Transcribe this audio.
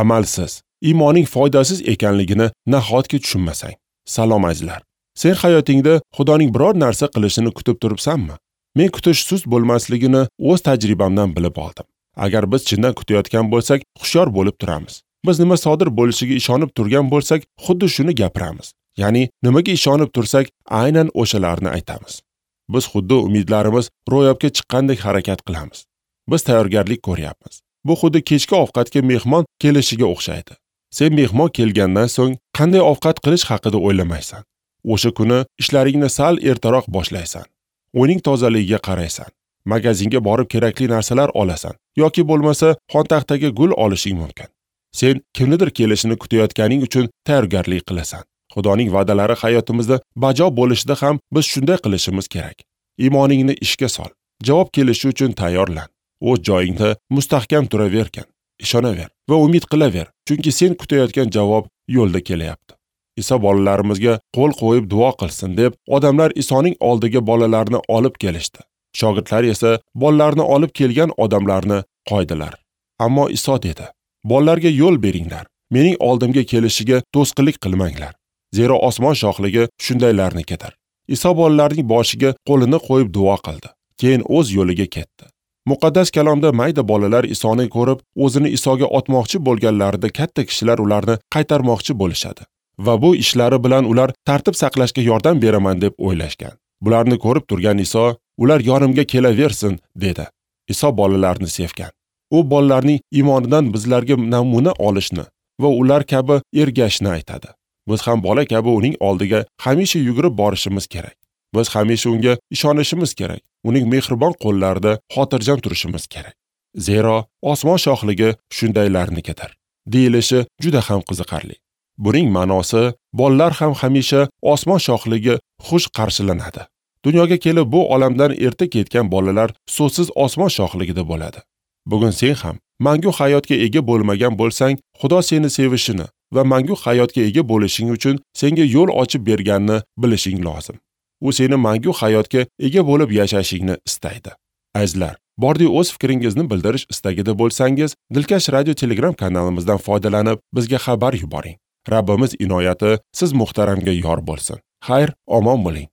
Amalsiz iymoning foydasiz ekanligini nahotki tushunmasang? Salom azizlar. Sen hayotingda Xudoning biror narsa qilishini kutib turibsanmi? Men kutish sust bo'lmasligini o'z tajribamdan bilib oldim. Agar biz chindan kutayotgan bo'lsak, hushyor bo'lib turamiz. Biz nima sodir bo'lishiga ishonib turgan bo'lsak, xuddi shuni gapiramiz. Ya'ni nimaga ishonib tursak, aynan o'shalarni aytamiz. Biz xuddi umidlarimiz ro'yobga chiqqandek harakat qilamiz. Biz tayyorgarlik ko'ryapmiz. Bu xuddi kechki ovqatga mehmon kelishiga o'xshaydi. Sen mehmon kelgandan so'ng qanday ovqat qilish haqida o'ylamaysan. O'sha kuni ishlaringni sal ertaroq boshlaysan. Uyning tozaligiga qaraysan. Magazinga borib kerakli narsalar olasan yoki bo'lmasa xontaxtaga gul olishing mumkin. Sen kimnidir kelishini kutayotganing uchun tayyorgarlik qilasan. Xudoning va'dalari hayotimizda bajo bo'lishida ham biz shunday qilishimiz kerak. Iymoningni ishga sol. Javob kelishi uchun tayyorlan. O'z joyingda mustahkam turavergin. Ishonaver va umid qilaver, chunki sen kutayotgan javob yo'lda kelyapti. Iso bolalarimizga qo'l qo'yib duo qilsin deb odamlar Isoning oldiga bolalarni olib kelishdi. Shogirdlar esa bolalarni olib kelgan odamlarni qo'ydilar. Ammo Iso dedi: "Bolalarga yo'l beringlar. Mening oldimga kelishiga to'sqinlik qilmanglar. Zero osmon shohligi shundaylarnikidir." Iso bolalarning boshiga qo'lini qo'yib duo qildi. Keyin o'z yo'liga ketdi. Muqaddas kalomda mayda bolalar Isoni ko'rib, o'zini Isoga otmoqchi bo'lganlarida katta kishilar ularni qaytarmoqchi bo'lishadi va bu ishlari bilan ular tartib saqlashga yordam beraman deb o'ylashgan. Bularni ko'rib turgan Iso, "Ular yonimga kelaversin" dedi. Iso bolalarni sevgan. U bolalarning iymonidan bizlarga namuna olishni va ular kabi ergashishni aytadi. Biz ham bola kabi uning oldiga hamisha yugurib borishimiz kerak. Biz hamisha unga ishonishimiz kerak. Uning mehribon qo'llarida xotirjam turishimiz kerak. Zero osmon shohligi shundaylarnikidir, deyilishi juda ham qiziqarli. Buning ma'nosi, bolalar ham hamisha osmon shohligi xush qarshilanadi. Dunyoga kelib bu olamdan erta ketgan bolalar so'zsiz osmon shohligida bo'ladi. Bugun sen ham mangu hayotga ega bo'lmagan bo'lsang, Xudo seni sevishini va mangu hayotga ega bo'lishing uchun senga yo'l ochib berganini bilishing lozim. U seni mangu hayotga ega bo'lib yashashingni istaydi. Azizlar, bordi o'z fikringizni bildirish istagida bo'lsangiz, Dilkash radio Telegram kanalimizdan foydalanib bizga xabar yuboring. Rabbimiz inoyati siz muhtaramga yor bo'lsin. Xayr, omon bo'ling.